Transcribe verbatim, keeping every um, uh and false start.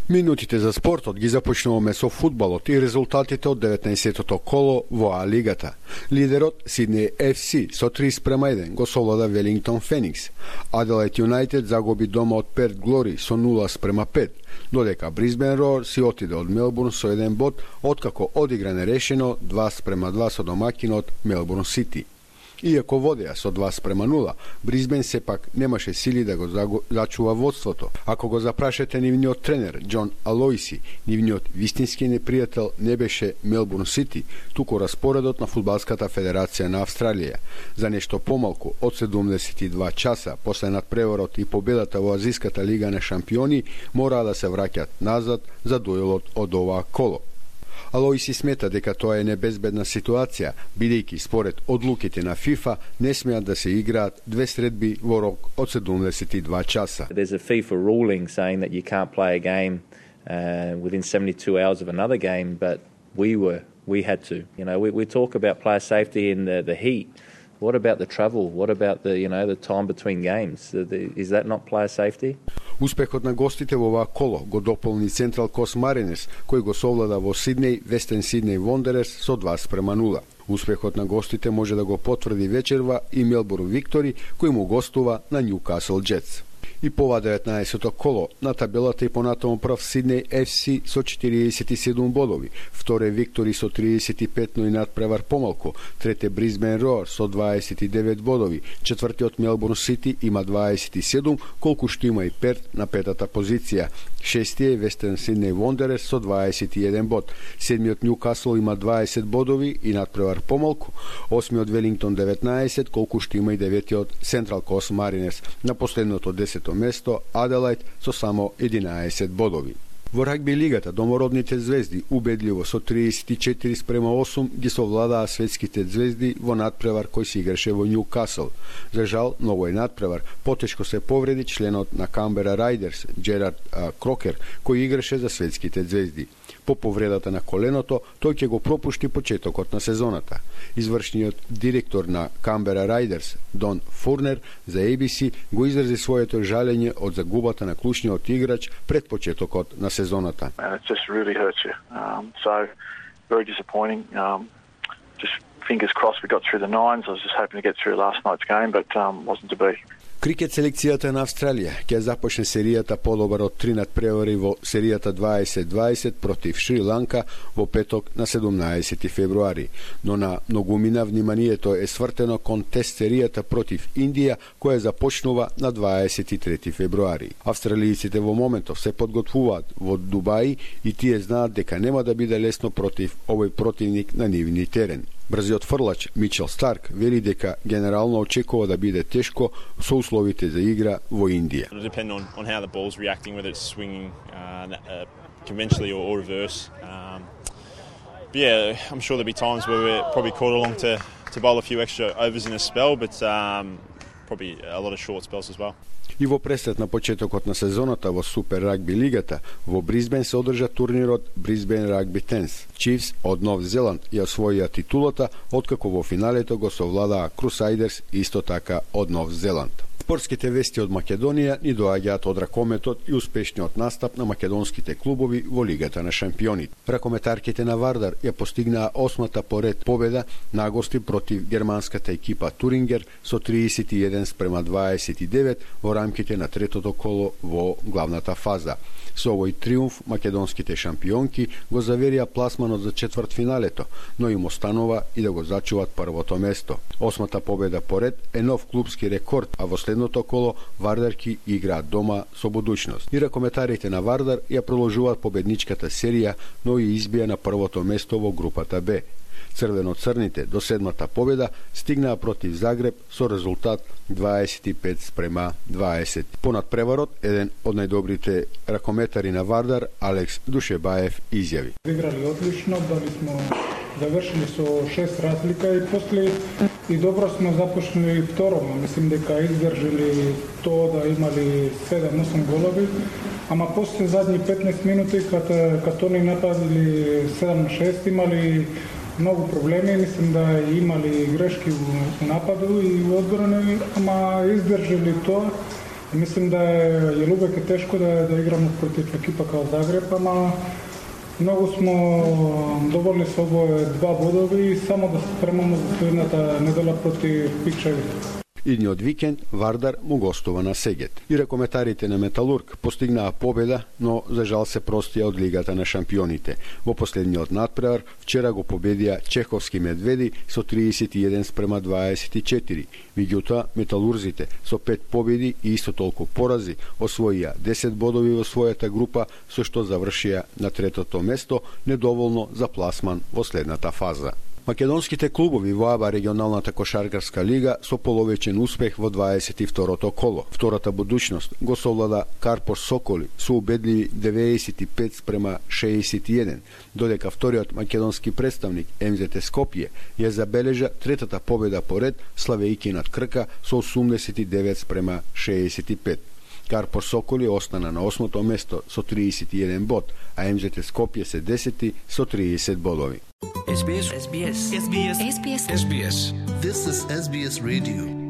Минутите за спортот ги започнуваме со фудбалот и резултатите од деветнаесеттото коло во А-лигата. Лидерот Сиднеј Еф Си со три спрема еден го совлада Велингтон Феникс. Аделајд Юнајтед загуби дома од Перт Глори со нула спрема пет, додека Брисбен Роар си отиде од Мелбурн со еден бод, откако одигра нерешено два спрема два со домакинот Мелбурн Сити. Иако водеа со два спрема нула, Брисбен сепак немаше сили да го зачува водството. Ако го запрашате нивниот тренер Џон Алоиси, нивниот вистински непријател не беше Мелбурн Сити, туку распоредот на Фудбалската федерација на Австралија. За нешто помалку од седумдесет и два часа после надпреварот и победата во Азиската лига на шампиони, мораа да се враќаат назад за дуелот од оваа коло. Алоиси смета дека тоа е небезбедна ситуација, бидејќи според одлуките на ФИФА не смеат да се играат две средби во рок од седумдесет и два часа. There's a FIFA ruling saying that you can't play a game uh, within seventy-two hours of another game, but we were we had to. You know, we we talk about player safety in the the heat. What about the travel? What about the, you know, the time between games? Is that not player safety? Успехот на гостите во оваа коло го дополни Централ Кост Маринерс, кој го совлада во Сиднеј Вестен Сиднеј Вондерерс со два спрема нула. Успехот на гостите може да го потврди вечерва и Мелбурн Виктори, кој му гостува на Ньюкасл Джетс. И по ова деветнаесетто коло на табелата и понатаму прв Сиднеј Еф Си со четириесет и седум бодови, вторе Виктори со триесет и пет, но и надпревар помалку, трете Брисбен Роар со дваесет и девет бодови, четвртиот Мелбурн Сити има дваесет и седум, колку што има и Перт на петата позиција, шестиот Вестен Сиднеј Вондерерс со дваесет и еден бод, седмиот Ньюкасл има дваесет бодови и надпревар помалку, осмиот Велингтон деветнаесет, колку што има и деветиот Централ Кост Маринерс, на последното десето место Аделајд со само единаесет бодови. Во рагби лигата домородните звезди убедливо со триесет и четири спрема осум ги совладаа светските звезди во надпревар кој се играше во Ньюкасл. За жал, на овој надпревар потешко се повреди членот на Камбера Рајдерс Џерард а, Крокер, кој играше за светските звезди. По повредата на коленото, тој ќе го пропушти почетокот на сезоната. Извршниот директор на Камбера Рајдерс, Дон Фурнер, за Ей Би Си го изрази своето жалење од загубата на клучниот играч пред почетокот на сезоната. And it just really hurts you. Um, so very disappointing. Um, just fingers crossed we got through the nines. I was just hoping to get through last night's game, but um, wasn't to be. Крикет селекцијата на Австралија ќе започне серијата подобар од три надпревари во серијата дваесет дваесет против Шри Ланка во петок на седумнаесети февруари, но на многумина вниманието е свртено кон тест серијата против Индија која започнува на дваесет и трети февруари. Австралијците во моментов се подготвуваат во Дубај и тие знаат дека нема да биде лесно против овој противник на нивни терен. Брзиот фрлач Мичел Старк вели дека генерално очекува да биде тешко со условите за игра во Индија. It'll depend on on how the ball's reacting, whether it's swinging uh, uh, conventionally or, or reverse. Um, but yeah, I'm sure there'll be times where we're probably called along to to bowl a few extra overs in a spell, but um, probably a lot of short spells as well. И во пресет на почетокот на сезоната во Супер рагби лигата, во Брисбен се одржа турнирот Брисбен Рагби Тенс. Чифс од Нов Зеланд ја освоија титулата, откако во финалето го совладаа Крусајдерс исто така од Нов Зеланд. Спортските вести од Македонија ни доаѓаат од ракометот и успешниот настап на македонските клубови во Лигата на шампионите. Ракометарките на Вардар ја постигнаа осмата поред победа на гости против германската екипа Турингер со триесет и еден спрема дваесет и девет во рамките на третото коло во главната фаза. Со овој триумф македонските шампионки го заверија пласманот за четвртфиналето, но им останува и да го зачуваат првото место. Осмата победа поред е нов клубски рекорд, а во следното коло Вардарки играат дома со будуćност. И ракометарите на Вардар ја продолжуваат победничката серија, но и избија на првото место во групата Б. Црвено-црните до седмата победа стигнаа против Загреб со резултат дваесет и пет спрема дваесет. Понад преварот, еден од најдобрите ракометари на Вардар, Алекс Душебаев, изјави. Играли одлично, дали смо завршили со шест разлика и после и добро смо започнали второ. Мислим дека издржали тоа да имали седам-осум голови, ама после задни петнаесет минути кога като ни нападили седам на шест имали многу проблеми, мислим да имали грешки во нападу и во одбрана, ама издржали тоа Мислим да е јелубек е тешко да, да играмо против екипа као Загреб, ама многу смо доволни со овие два бодови и само да се спремамо за следната недела против Пикчевите. Идниот викенд Вардар му гостува на Сегет. И ракометарите на Металург постигнаа победа, но за жал се простија од Лигата на шампионите. Во последниот надпревар вчера го победија чеховски медведи со триесет и еден спрема дваесет и четири. Меѓутоа, металурзите со пет победи и исто толку порази освоија десет бодови во својата група, со што завршија на третото место, недоволно за пласман во следната фаза. Македонските клубови во АБА регионалната кошаркарска лига со половечен успех во дваесет и второто коло. Втората будучност го совлада Карпош Соколи со убедливи деветдесет и пет спрема шеесет и еден, додека вториот македонски представник Ем Зет Скопје ја забележа третата победа поред, славејќи над Крка со осумдесет и девет спрема шеесет и пет. Карпош Соколи остана на осмото место со триесет и еден бод, а Ем Зет Скопје се десети со триесет бодови. Ес Би Ес. Ес Би Ес. Ес Би Ес. Ес Би Ес. This is Ес Би Ес Radio.